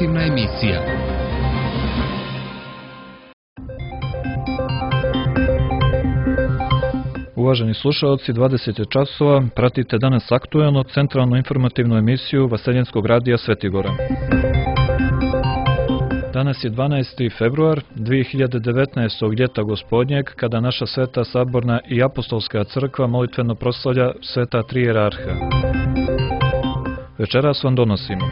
informativna emisija. Uvaženi slušaoci, 20 je časova, pratite danas aktuelno centralnu informativnu emisiju Vaseljenskog radija Svetigora. Danas je 12. februar 2019. ljeta gospodnjeg, kada naša Sveta Saborna i Apostolska crkva molitveno proslavlja Sveta Tri Jerarha. Večeras vam donosimo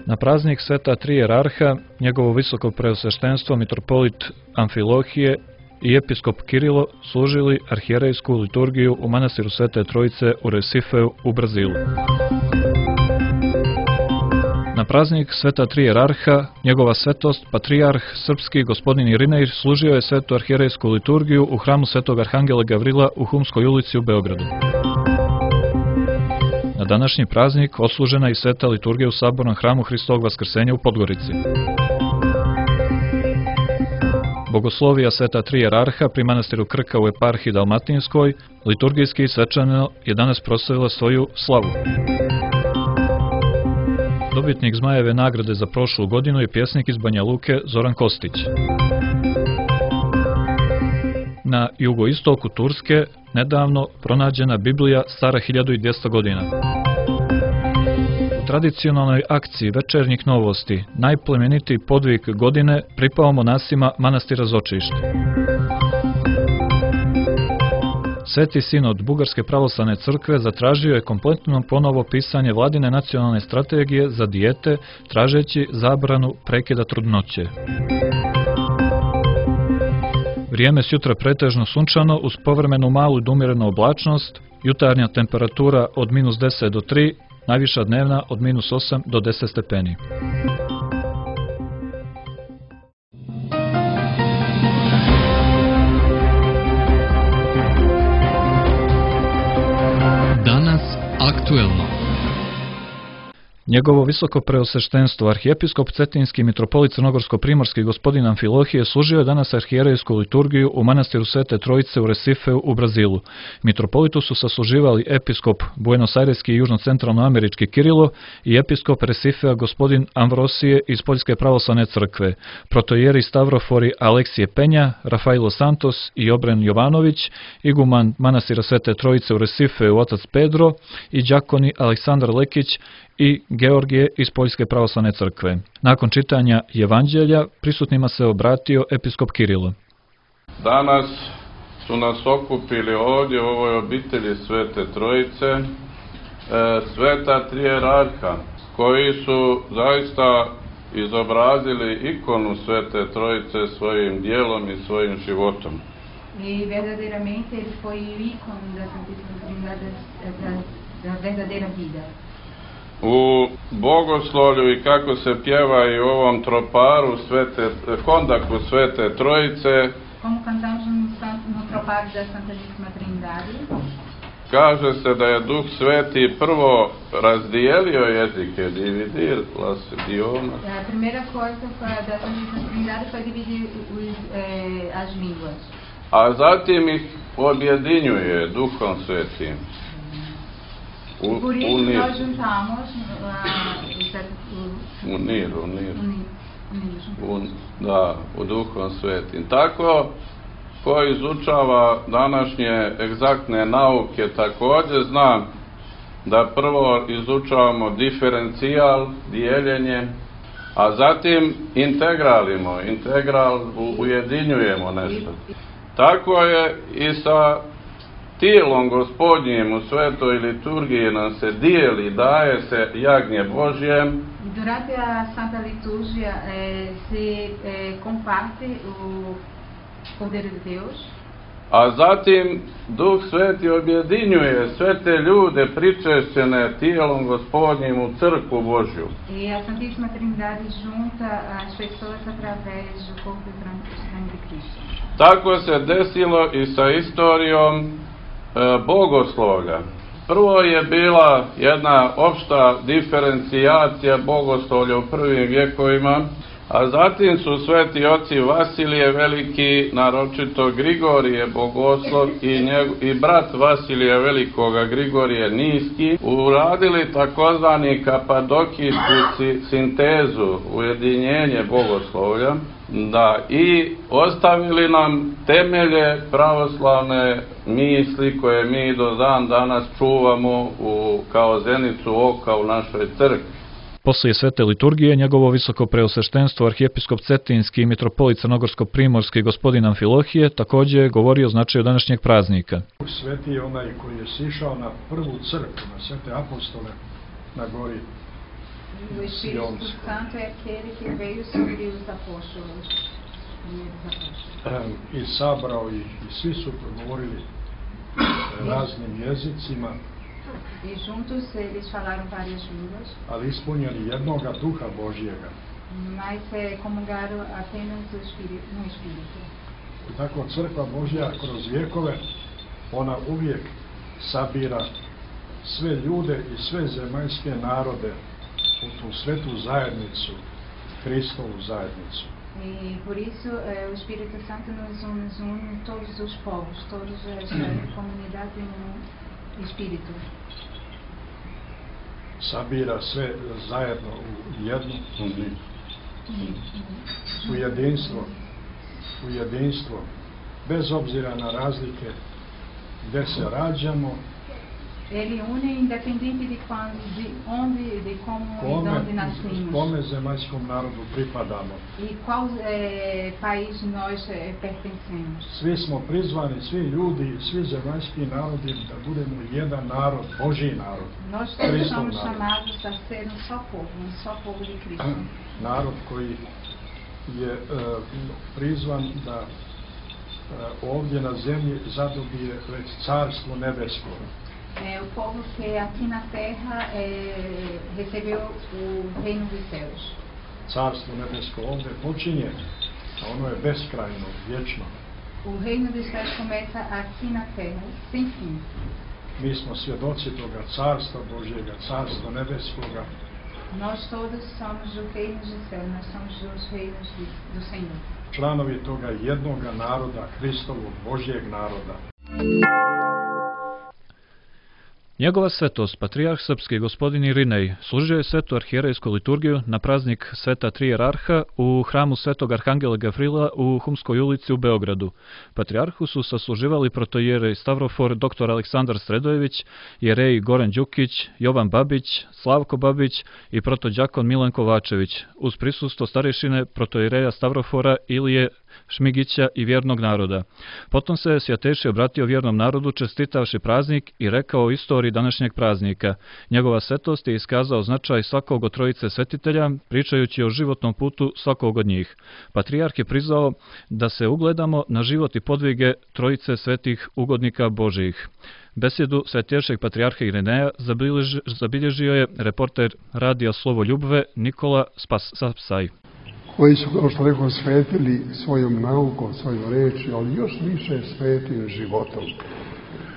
na praznik Sveta Tri Jerarha, njegovo visoko preosveštenstvo mitropolit Amfilohije i episkop Kirilo služili arhijerejsku liturgiju u manastiru Svete Trojice u Resifeu u Brazilu. Na praznik Sveta Tri Jerarha, njegova svetost, patrijarh srpski gospodin Irinej služio je svetu arhijerejsku liturgiju u hramu Svetog Arhangela Gavrila u Humskoj ulici u Beogradu. Na današnji praznik odslužena i sveta liturgija u Sabornom hramu Hristovog Vaskrsenja u Podgorici. Bogoslovija Sveta Tri Jerarha pri manastiru Krka u eparhiji Dalmatinskoj liturgijski i svečano je danas proslavila svoju slavu. Dobitnik Zmajeve nagrade za prošlu godinu je pjesnik iz Banja Luke Zoran Kostić. Na jugoistoku Turske nedavno pronađena Biblija stara 1200 godina. U tradicionalnoj akciji večernjih novosti najplemenitiji podvig godine pripao monasima manastira Zočište. Sveti sinod Bugarske pravoslavne crkve zatražio je kompletno ponovo pisanje vladine nacionalne strategije za dijete, tražeći zabranu prekida trudnoće. Vrijeme sjutra pretežno sunčano uz povremenu malu do umjerenu oblačnost, jutarnja temperatura od -10 do 3, najviša dnevna od -8 do 10 stepeni. Danas aktuelno. Njegovo visoko preosveštenstvo, arhijepiskop Cetinski mitropolit Crnogorsko-primorski gospodin Amfilohije služio je danas arhijerejsku liturgiju u manastiru Svete Trojice u Resifeu u Brazilu. Mitropolitu su sasluživali episkop Buenos-Aireski i južno-centralnoamerički Kirilo i episkop Resifea gospodin Amvrosije iz Poljske pravoslavne crkve, protojeri Stavrofori Aleksije Penja, Rafailo Santos i Obren Jovanović, iguman manastira Svete Trojice u Resifeu otac Pedro i đakoni Aleksandar Lekić i Georgije iz Poljske pravoslavne crkve. Nakon čitanja Evanđelja prisutnima se obratio episkop Kirilo. Danas su nas okupili ovdje u ovoj obitelji Svete Trojice, Sveta Tri Jerarha, koji su zaista izobrazili ikonu Svete Trojice svojim dijelom i svojim životom. E verdadeiramente ele foi o ícone da Santíssima Trindade, da verdadeira vida. U bogoslovlju i kako se pjeva i u ovom troparu Hondaku Svete Trojice, como cantamos no tropar da Santíssima Trindade, kaže se da je Duh Sveti prvo razdijelio jezike, dividir las idiomas. A primeira coisa da Santíssima Trindade foi dividir as línguas. A zatim ih objedinjuje Duhom Svetim. Por isso nós juntamos u Duhom Svetim. Tako, ko izučava današnje egzaktne nauke, također znam da prvo izučavamo diferencijal, dijeljenje, a zatim integral ujedinjujemo nešto. Tako je i sa tijelom gospodnjim u svetoj liturgiji nam se dijeli, daje se jagnje Božje. Durante a Santa Liturgia se comparte o Cordeiro de Deus. A zatim Duh Sveti objedinjuje sve te ljude pričešćene tijelom gospodnjim u crkvu Božju. E a Santíssima Trindade junta as pessoas através do corpo e sangue de Cristo. Tako se desilo i sa istorijom bogoslovlja. Prvo je bila jedna opšta diferencijacija bogoslovlja u prvim vjekovima, A zatim su sveti oci Vasilije Veliki, naročito Grigorije Bogoslov i brat Vasilija Velikoga Grigorije Niski, uradili takozvani kapadokijsku sintezu, ujedinjenje bogoslovlja, i ostavili nam temelje pravoslavne misli koje mi do dan danas čuvamo kao zenicu oka u našoj crkvi. Poslije svete liturgije, njegovo visoko preosveštenstvo arhijepiskop Cetinski i mitropolit Crnogorsko-primorski gospodin Amfilohije također je govorio o značaju današnjeg praznika. Sveti je onaj koji je sišao na prvu crkvu, na svete apostole na gori Sionskoj. I sabrao ih i svi su progovorili raznim jezicima. E juntos eles falaram várias línguas. Ali ispunjeni jednoga duha Božjega. Mas comungaram apenas no Espírito. I tako crkva Božja kroz vjekove, ona uvijek sabira sve ljude i sve zemaljske narode u tu svetu zajednicu, Hristovu zajednicu. E por isso o Espírito Santo nos une todos os povos, todas as comunidades no Espírito. Sabira sve zajedno u jednu u jedinstvo, bez obzira na razlike gdje se rađamo. Ele une independente de onde, de como e de onde nascemos. Kome zemaljskom narodu pripadamo. E qual país nós pertencemos. Svi smo prizvani, svi ljudi, svi zemaljski narodi da budemo jedan narod, Božji narod. Nós todos somos chamados a ser só povo de Cristo. Narod koji je prizvan da ovdje na zemlji zadobije već carstvo nebesko. O povo que aqui na terra recebeu o reino dos céus. Carstvo nebesko ovdje počinje, a ono je beskrajno, vječno. O reino dos céus começa aqui na terra, sem fim. Mi smo svjedoci toga carstva Božjega, carstva nebeskoga. Nós todos somos o reino dos céus, nós somos os reinos do Senhor. Članovi toga jednoga naroda, Hristovog, Božjeg naroda. Njegova svetost, patrijarh srpski gospodin Irinej, služio je svetu arhijerejsku liturgiju na praznik sveta tri jerarha u hramu svetog arhangela Gavrila u Humskoj ulici u Beogradu. Patrijarhu su sasluživali protojerej Stavrofor dr. Aleksandar Sredojević, jerej Goran Đukić, Jovan Babić, Slavko Babić i protođakon Milan Kovačević, uz prisustvo starešine protojereja Stavrofora Ilije Šmigića i vjernog naroda. Potom se Svjateši obratio vjernom narodu čestitavši praznik i rekao o istoriji današnjeg praznika. Njegova svetost je iskazao značaj svakog od trojice svetitelja, pričajući o životnom putu svakog od njih. Patrijarh je prizvao da se ugledamo na život i podvige trojice svetih ugodnika Božijih. Besjedu svetješeg patrijarha Irineja zabilježio je reporter radija Slovo Ljubve Nikola Sapsaj. Koji su, kao što rekao, svetili svojom naukom, svojom reči, ali još više svetim životom.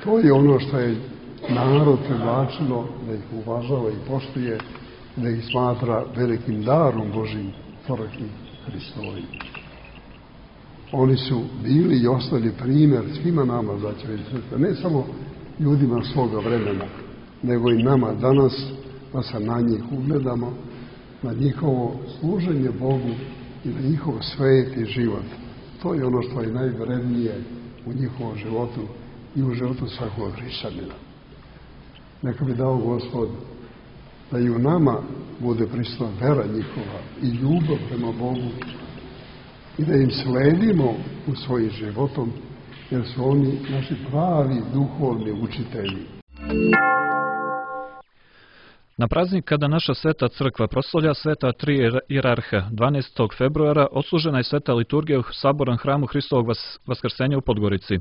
To je ono što je narod privlačilo, da ih uvažava i poštuje, da ih smatra velikim darom Božim, crkvi Hristovoj. Oni su bili i ostali primjer svima nama, braćo i sestre, ne samo ljudima svoga vremena, nego i nama danas, da se na njih ugledamo, na njihovo služenje Bogu i na njihov sveti život. To je ono što je najvrednije u njihovom životu i u životu svakog hrišćanina. Neka bi dao Gospod da i u nama bude prisutna vera njihova i ljubav prema Bogu i da im sledimo u svojim životom, jer su oni naši pravi duhovni učitelji. Na praznik kada naša sveta crkva proslavlja sveta tri jerarha, 12. februara odslužena je sveta liturgija u sabornom hramu Hristovog Vaskrsenja u Podgorici.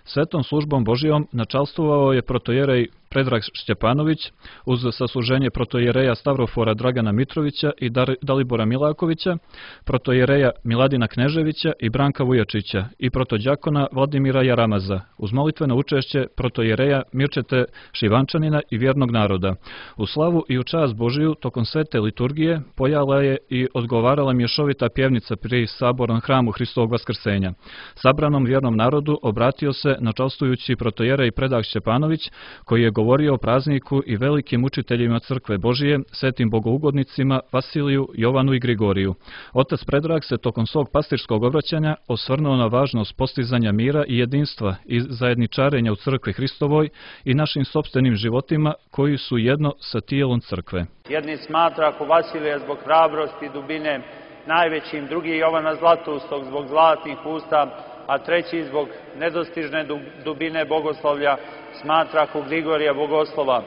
Svetom službom Božijom načalstvovao je protojerej Predrag Šćepanović, uz sasluženje protojereja Stavrofora Dragana Mitrovića i Dalibora Milakovića, protojereja Miladina Kneževića i Branka Vujačića i protodjakona Vladimira Jaramaza, uz molitveno učešće protojereja Mirčete Šivančanina i vjernog naroda. U slavu i u čast Božiju tokom svete liturgije pojala je i odgovarala mješovita pjevnica pri sabornom hramu Hristovog vaskrsenja. Sabranom vjernom narodu obratio se načalstujući protojerej Predrag Šćepanović, koji je govorio o prazniku i velikim učiteljima crkve Božije, svetim bogougodnicima Vasiliju, Jovanu i Grigoriju. Otac Predrag se tokom svog pastirskog obraćanja osvrnuo na važnost postizanja mira i jedinstva i zajedničarenja u crkvi Hristovoj i našim sopstvenim životima koji su jedno sa tijelom crkve. Jedni smatra ako Vasilija zbog hrabrosti i dubine najvećim, drugi Jovana Zlatoustog zbog zlatnih usta, a treći zbog nedostižne dubine bogoslovlja smatra ako Grigorija bogoslova.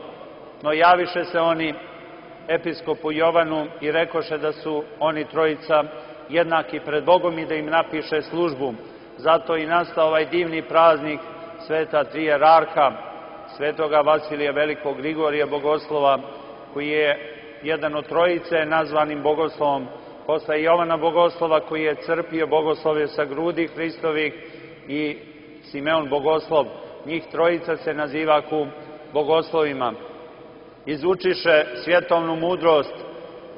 No javiše se oni episkopu Jovanu i rekoše da su oni trojica jednaki pred Bogom i da im napiše službu. Zato i nastao ovaj divni praznik sveta tri jerarha, svetoga Vasilija Velikog, Grigorija bogoslova, koji je jedan od trojice nazvanim bogoslovom, posle Jovana bogoslova koji je crpio bogoslovlje sa grudi Hristovih i Simeon bogoslov. Njih trojica se naziva bogoslovima. Izučiše svjetovnu mudrost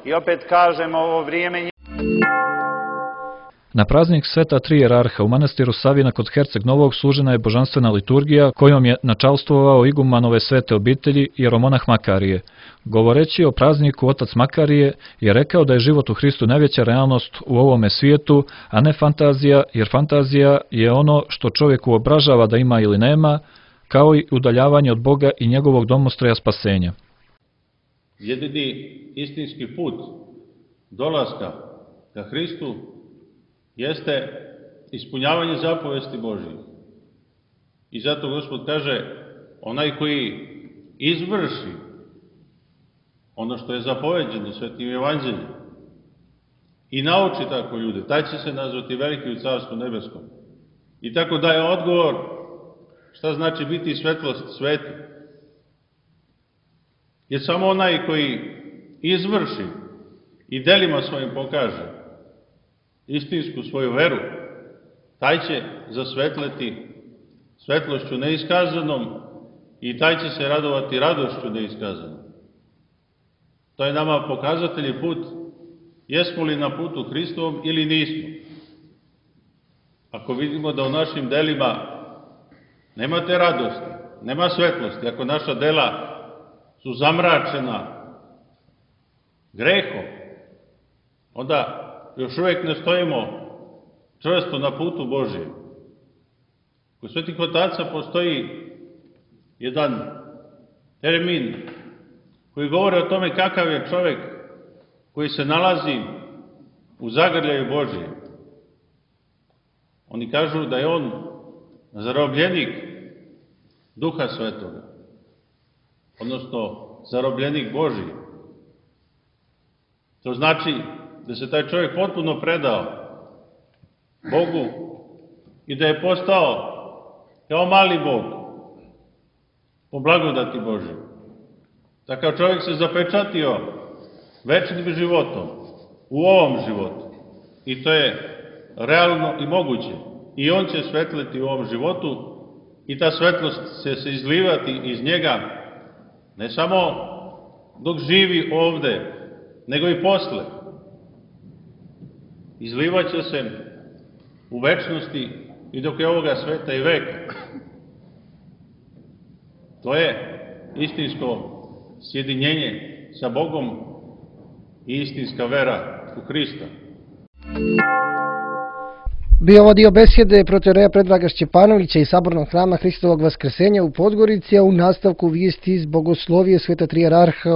i opet kažemo ovo vrijeme. Na praznik sveta tri jerarha u manastiru Savina kod Herceg Novog služena je božanstvena liturgija kojom je načalstvovao igumanove svete obitelji jeromonah Makarije. Govoreći o prazniku, otac Makarije je rekao da je život u Hristu najveća realnost u ovome svijetu, a ne fantazija, jer fantazija je ono što čovjeku obražava da ima ili nema, kao i udaljavanje od Boga i njegovog domostroja spasenja. Jedini istinski put dolaska ka Hristu jeste ispunjavanje zapovesti Božije. I zato Gospod kaže, onaj koji izvrši ono što je zapoveđeno Svetim Evanđeljem i nauči tako ljude, taj će se nazvati veliki u Carstvu nebeskom. I tako daje odgovor šta znači biti svetlost sveti. Jer samo onaj koji izvrši i delima svojim pokaže istinsku svoju veru, taj će zasvetleti svetlošću neiskazanom i taj će se radovati radošću neiskazanom. To je nama pokazatelj i put, jesmo li na putu Hristovom ili nismo. Ako vidimo da u našim delima nema te radosti, nema svetlosti, ako naša dela su zamračena grehom, onda još uvijek ne stojimo čvrsto na putu Božijem. Kod svetih otaca postoji jedan termin koji govori o tome kakav je čovjek koji se nalazi u zagrljaju Božije. Oni kažu da je on zarobljenik Duha Svetoga, odnosno zarobljenik Božiji. To znači da se taj čovjek potpuno predao Bogu i da je postao kao mali Bog po blagodati Božje. Takav čovjek se zapečatio večnim životom u ovom životu i to je realno i moguće. I on će svetliti u ovom životu i ta svetlost će se izlivati iz njega ne samo dok živi ovde, nego i posle. Izlivaće se u večnosti i dok je ovoga sveta i veka. To je istinsko sjedinjenje sa Bogom i istinska vera u Hrista. Bio ovo dio besjede protojereja Predraga Šćepanovića iz sabornog hrama Hristovog vaskrsenja u Podgorici, a u nastavku vijesti iz bogoslovije sveta tri jerarha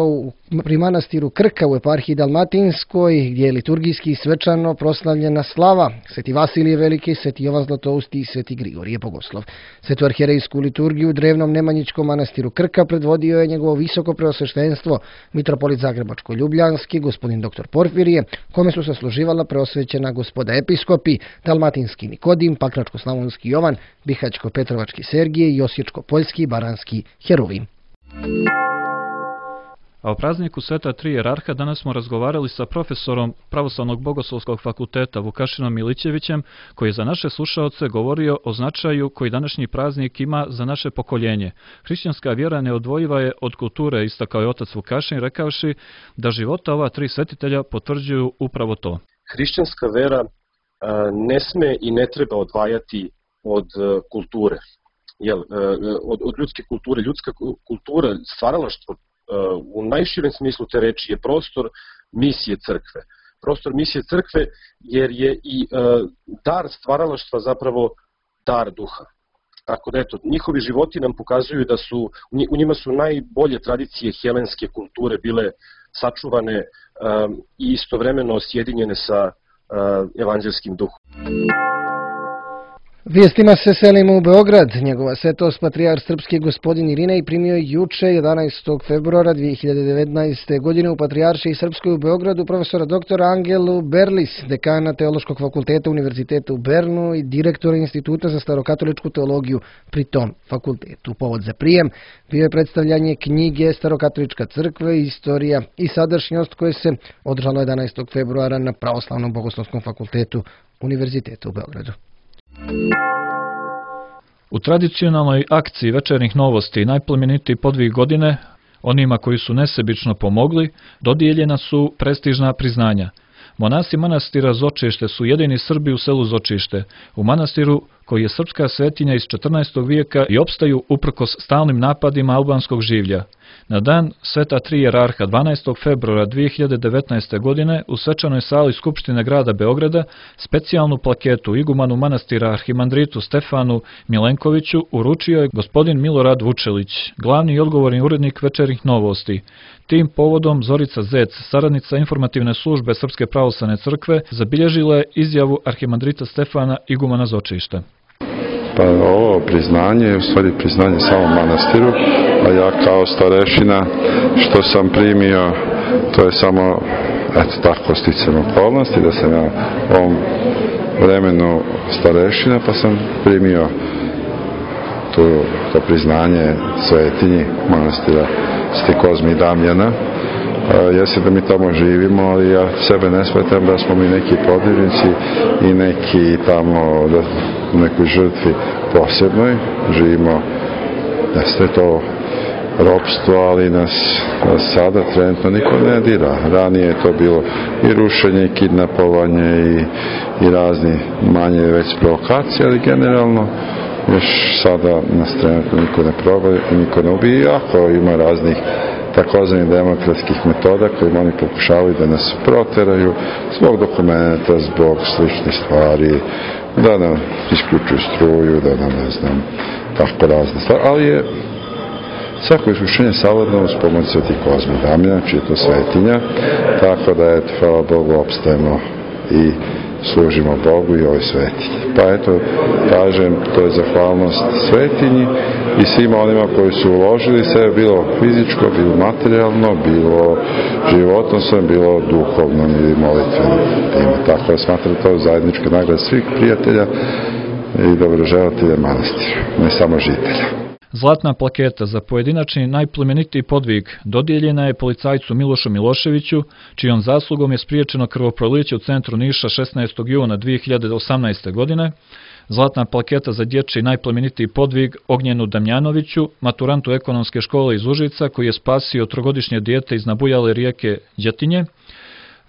pri manastiru Krka u eparhiji Dalmatinskoj, gdje je liturgijski i svečano proslavljena slava Sveti Vasilije Veliki, Sveti Jovan Zlatousti i Sveti Grigorije bogoslov. Svetu arhijerejsku liturgiju u drevnom Nemanjičkom manastiru Krka predvodio je njegovo visoko preosveštenstvo mitropolit Zagrebačko-Ljubljanski, gospodin dr. Porfirije, kome su sasluživala preosvećena gospoda episkopi, Dalmatinski Nikodim, Pakračko-Slavonski Jovan, Bihaćko-Petrovački Sergije i Osječko-Poljski i Baranski Heruvim. A o prazniku Sveta tri jerarha danas smo razgovarali sa profesorom Pravoslavnog bogoslovskog fakulteta Vukašinom Milićevićem, koji je za naše slušaoce govorio o značaju koji današnji praznik ima za naše pokoljenje. Hrišćanska vjera neodvojiva je od kulture, istakao je otac Vukašin, rekavši da života ova tri svetitelja potvrđuju upravo to. Hrišćanska vera ne sme i ne treba odvajati od kulture, od ljudske kulture. Ljudska kultura, stvaralaštvo u najširem smislu te reči je prostor misije crkve. Prostor misije crkve jer je i dar stvaralaštva zapravo dar duha. Tako da eto, njihovi životi nam pokazuju da u njima su najbolje tradicije helenske kulture bile sačuvane i istovremeno sjedinjene sa evanđelskim duhom. Vijestima se selimo u Beograd. Njegova svetost patrijarh srpski gospodin Irinej primio je juče 11. februara 2019. godine u Patrijaršiji Srpskoj u Beogradu profesora dr. Angelu Berlis, dekana Teološkog fakulteta Univerziteta u Bernu i direktora Instituta za starokatoličku teologiju pri tom fakultetu. Povod za prijem bio je predstavljanje knjige Starokatolička crkva, istorija i sadašnjost koje se održalo 11. februara na Pravoslavnom bogoslovskom fakultetu Univerziteta u Beogradu. U tradicionalnoj akciji večernjih novosti najplemenitiji podvig godine, onima koji su nesebično pomogli, dodijeljena su prestižna priznanja. Monasi manastira Zočište su jedini Srbi u selu Zočište, u manastiru koji je srpska svetinja iz 14. vijeka i opstaju uprkos stalnim napadima albanskog življa. Na dan Sveta tri jerarha 12. februara 2019. godine u svečanoj sali Skupštine grada Beograda specijalnu plaketu igumanu manastira arhimandritu Stefanu Milenkoviću uručio je gospodin Milorad Vučelić, glavni i odgovorni urednik večernjih novosti. Tim povodom Zorica Zec, saradnica informativne službe Srpske pravoslavne crkve, zabilježila je izjavu arhimandrita Stefana igumana Zočišta. Pa ovo priznanje je u stvari priznanje samom manastiru, a ja kao starešina što sam primio, to je samo tako sticam okolnosti, da sam ja u ovom vremenu starešina, pa sam primio to priznanje svetinji manastira Sveti Kozmi i Damjana. Jeste da mi tamo živimo, ali ja sebe ne smetam da smo mi neki podivnici i neki tamo u nekoj žrtvi posebnoj. Živimo, jeste to ropstvo, ali nas sada trenutno niko ne dira. Ranije je to bilo i rušenje, i kidnapovanje, i razni manje već provokacije, ali generalno još sada nas trenutno niko ne proba, niko ne ubija, ako ima raznih takozvanih demokratskih metoda kojim oni pokušavaju da nas proteraju zbog dokumenta, zbog sličnih stvari, da nam isključuju struju, da nam ne znam, tako razne stvari, ali je svako iskušenje savladno uz pomoć Sveti Kozmi i Damjana, čiji je to svetinja, tako da eto, hvala Bogu, opstajemo i služimo Bogu i ovoj svetinji. Pa eto, kažem, to je zahvalnost svetinji i svima onima koji su uložili sebe, bilo fizičko, bilo materijalno, bilo životno svojim, bilo duhovno ili molitvenim tima. Tako da smatram to zajednička nagrada svih prijatelja i dobroželatelja manastira, ne samo žitelja. Zlatna plaketa za pojedinačni najplemenitiji podvig dodijeljena je policajcu Milošu Miloševiću, čijom zaslugom je spriječeno krvoproliće u centru Niša 16. juna 2018. godine. Zlatna plaketa za dječji najplemenitiji podvig Ognjenu Damjanoviću, maturantu ekonomske škole iz Užica, koji je spasio trogodišnje dijete iz nabujale rijeke Đatinje.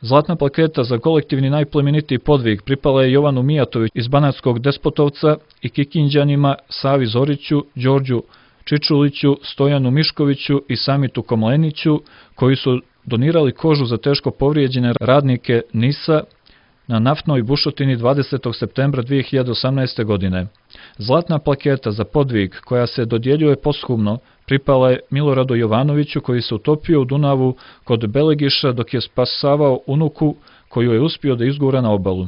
Zlatna plaketa za kolektivni najplemenitiji podvig pripala je Jovanu Mijatoviću iz Banatskog Despotovca i Kikinđanima Savi Zoriću, Đorđu Čičuliću, Stojanu Miškoviću i Samitu Komleniću, koji su donirali kožu za teško povrijeđene radnike NIS-a na naftnoj bušotini 20. septembra 2018. godine. Zlatna plaketa za podvig, koja se dodjeljuje posthumno, pripala je Miloradu Jovanoviću, koji se utopio u Dunavu kod Belegiša dok je spasavao unuku koju je uspio da izgura na obalu.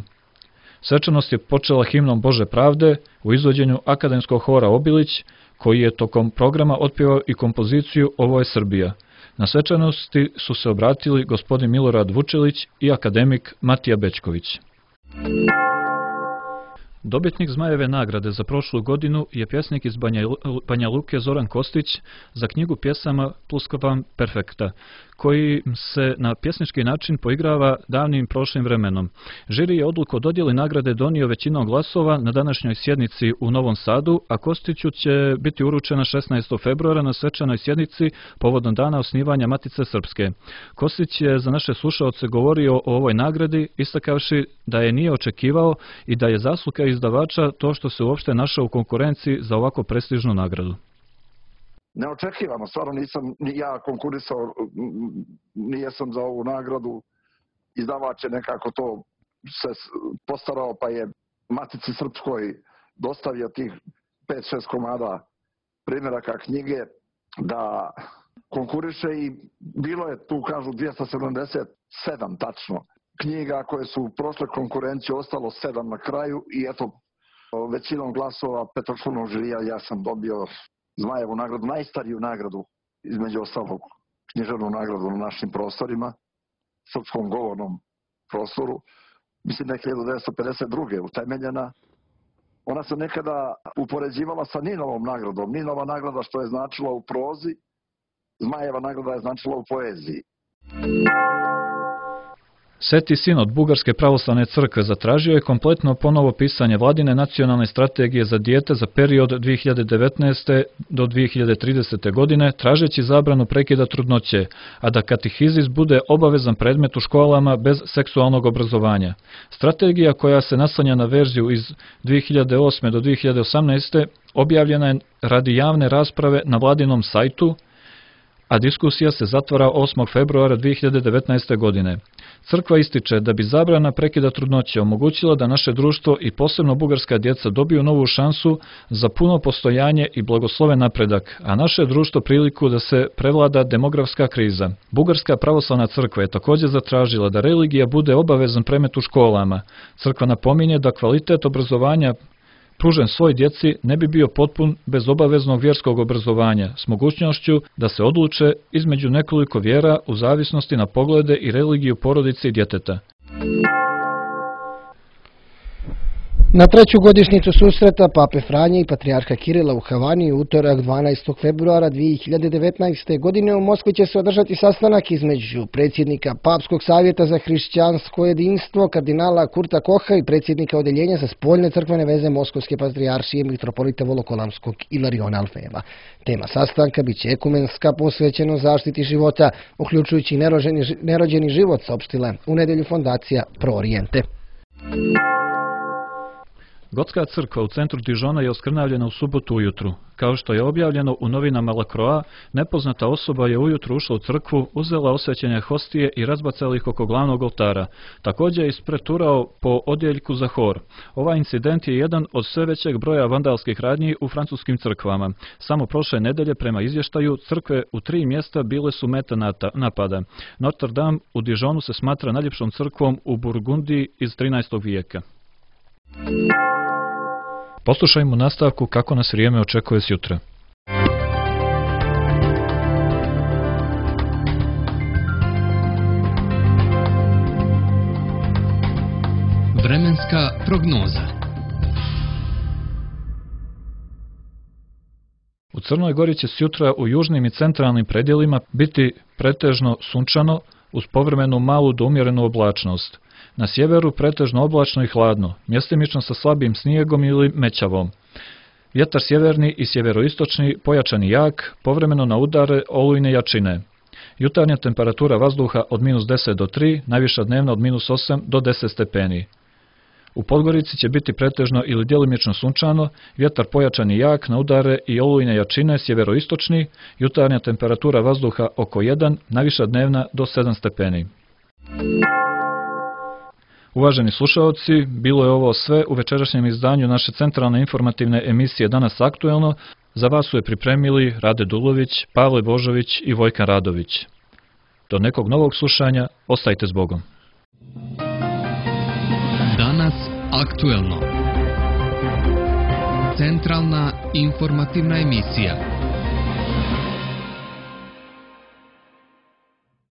Svečanost je počela himnom Bože pravde u izvođenju akademskog hora Obilić, koji je tokom programa otpjevao i kompoziciju Ovo je Srbija. Na svečanosti su se obratili gospodin Milorad Vučelić i akademik Matija Bećković. Dobitnik Zmajeve nagrade za prošlu godinu je pjesnik iz Banja Luke Zoran Kostić za knjigu pjesama Pluskvam perfekta, koji se na pjesnički način poigrava davnim prošlim vremenom. Žiri je odluku o dodjeli nagrade donio većinom glasova na današnjoj sjednici u Novom Sadu, a Kostiću će biti uručena 16. februara na svečanoj sjednici povodom dana osnivanja Matice Srpske. Kostić je za naše slušaoce govorio o ovoj nagradi, istakavši da je nije očekivao i da je zasluga izdavača to što se uopšte našao u konkurenciji za ovako prestižnu nagradu. Neočekivano, stvarno nisam ni ja konkurisao, nijesam za ovu nagradu. Izdavač je nekako to se postarao, pa je Matici Srpskoj dostavio tih 5-6 komada primjeraka knjige da konkuriše i bilo je tu, kažu, 277 tačno knjiga koje su prošle konkurenciju, ostalo 7 na kraju i eto, većinom glasova petočlanog žirija ja sam dobio Zmajevu nagradu, najstariju nagradu, između ostalog književnu nagradu na našim prostorima, srpskom govornom prostoru. Mislim da je 1952. utemeljena. Ona se nekada upoređivala sa Ninovom nagradom. Ninova nagrada što je značila u prozi, Zmajeva nagrada je značila u poeziji. Sveti sinod Bugarske pravoslavne crkve zatražio je kompletno ponovo pisanje vladine nacionalne strategije za dijete za period 2019. do 2030. godine, tražeći zabranu prekida trudnoće, a da katehizis bude obavezan predmet u školama bez seksualnog obrazovanja. Strategija, koja se naslanja na verziju iz 2008. do 2018. objavljena je radi javne rasprave na vladinom sajtu, a diskusija se zatvara 8. februara 2019. godine. Crkva ističe da bi zabrana prekida trudnoće omogućila da naše društvo i posebno bugarska djeca dobiju novu šansu za puno postojanje i blagosloven napredak, a naše društvo priliku da se prevlada demografska kriza. Bugarska pravoslavna crkva je također zatražila da religija bude obavezan predmet u školama. Crkva napominje da kvalitet obrazovanja pružen svoj djeci ne bi bio potpun bez obaveznog vjerskog obrazovanja, s mogućnošću da se odluče između nekoliko vjera u zavisnosti na poglede i religiju porodice i djeteta. Na treću godišnjicu susreta Pape Franje i Patrijarha Kirila u Havani utorak 12. februara 2019. godine u Moskvi će se održati sastanak između predsjednika Papskog savjeta za hrišćansko jedinstvo kardinala Kurta Koha i predsjednika Odeljenja za spoljne crkvene veze Moskovske patrijaršije mitropolita Volokolamskog Ilariona Alfejeva. Tema sastanka biće ekumenska, posvećeno zaštiti života, uključujući nerođeni život, saopštila u nedjelju fondacija Pro Oriente. Gotska crkva u centru Dižona je oskrnavljena u subotu ujutru. Kao što je objavljeno u novinama La Croix, nepoznata osoba je ujutru ušla u crkvu, uzela osvećene hostije i razbacala ih oko glavnog oltara. Također je ispreturao po odjeljku za hor. Ovaj incident je jedan od sve većeg broja vandalskih radnji u francuskim crkvama. Samo prošle nedelje, prema izvještaju, crkve u 3 mjesta bile su meta napada. Notre Dame u Dižonu se smatra najljepšom crkvom u Burgundiji iz 13. vijeka. Poslušajmo nastavku kako nas vrijeme očekuje sjutra. Vremenska prognoza. U Crnoj Gori će sjutra u južnim i centralnim predjelima biti pretežno sunčano uz povremenu malu do umjerenu oblačnost. Na sjeveru pretežno oblačno i hladno, mjestimično sa slabim snijegom ili mećavom. Vjetar sjeverni i sjeveroistočni pojačan i jak, povremeno na udare olujne jačine. Jutarnja temperatura vazduha od -10 do 3, najviša dnevna od -8 do 10 stepeni. U Podgorici će biti pretežno ili djelimično sunčano, vjetar pojačan i jak na udare i olujne jačine sjeveroistočni, jutarnja temperatura vazduha oko 1, najviša dnevna do 7 stepeni. Uvaženi slušaoci, bilo je ovo sve u večerašnjem izdanju naše centralne informativne emisije Danas aktuelno. Za vas su je pripremili Rade Dulović, Pavle Božović i Vojkan Radović. Do nekog novog slušanja, ostajte s Bogom. Danas aktuelno. Centralna informativna emisija.